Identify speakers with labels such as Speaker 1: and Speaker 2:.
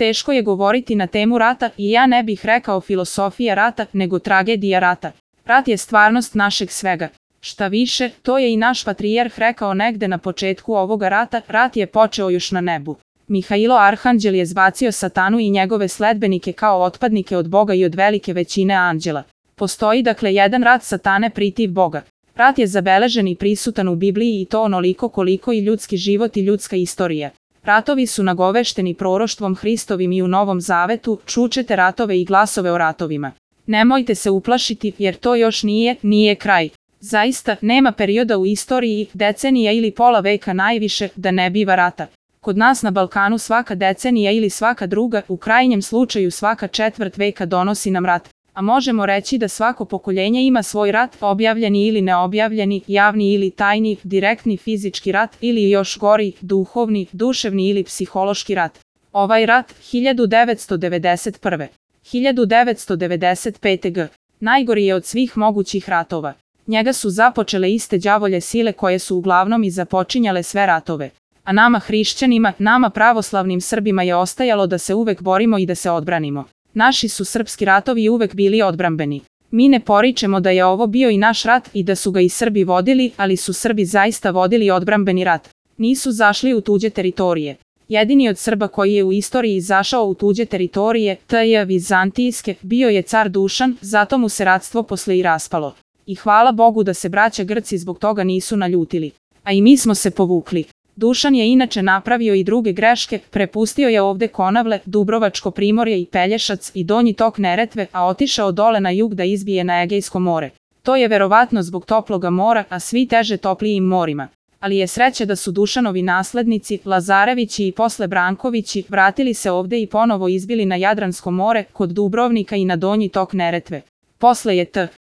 Speaker 1: Teško je govoriti na temu rata i ja ne bih rekao filosofija rata, nego tragedija rata. Rat je stvarnost našeg svega. Šta više, to je i naš patrijarh rekao negde na početku ovoga rata, rat je počeo još na nebu. Mihailo Arhanđel je zbacio satanu i njegove sledbenike kao otpadnike od Boga i od velike većine anđela. Postoji dakle jedan rat satane protiv Boga. Rat je zabeležen i prisutan u Bibliji i to onoliko koliko i ljudski život i ljudska istorija. Ratovi su nagovešteni proroštvom Hristovim i u Novom Zavetu, čućete ratove i glasove o ratovima. Nemojte se uplašiti jer to još nije kraj. Zaista, nema perioda u istoriji, decenija ili pola veka najviše, da ne biva rata. Kod nas na Balkanu svaka decenija ili svaka druga, u krajnjem slučaju svaka četvrt veka donosi nam rat. A možemo reći da svako pokoljenje ima svoj rat, objavljeni ili neobjavljeni, javni ili tajni, direktni fizički rat ili još gori, duhovni, duševni ili psihološki rat. Ovaj rat, 1991. 1995. g. najgori je od svih mogućih ratova. Njega su započele iste đavolje sile koje su uglavnom i započinjale sve ratove. A nama hrišćanima, nama pravoslavnim Srbima je ostajalo da se uvek borimo i da se odbranimo. Naši su srpski ratovi uvek bili odbrambeni. Mi ne poričemo da je ovo bio i naš rat i da su ga i Srbi vodili, ali su Srbi zaista vodili odbrambeni rat. Nisu zašli u tuđe teritorije. Jedini od Srba koji je u istoriji izašao u tuđe teritorije, t.j. vizantijske, bio je car Dušan, zato mu se ratstvo posle i raspalo. I hvala Bogu da se braća Grci zbog toga nisu naljutili. A i mi smo se povukli. Dušan je inače napravio i druge greške, prepustio je ovde Konavle, Dubrovačko primorje i Pelješac i donji tok Neretve, a otišao dole na jug da izbije na Egejsko more. To je verovatno zbog toploga mora, a svi teže toplijim morima. Ali je sreća da su Dušanovi naslednici, Lazarevići i posle Brankovići, vratili se ovde i ponovo izbili na Jadransko more, kod Dubrovnika i na donji tok Neretve. Posle je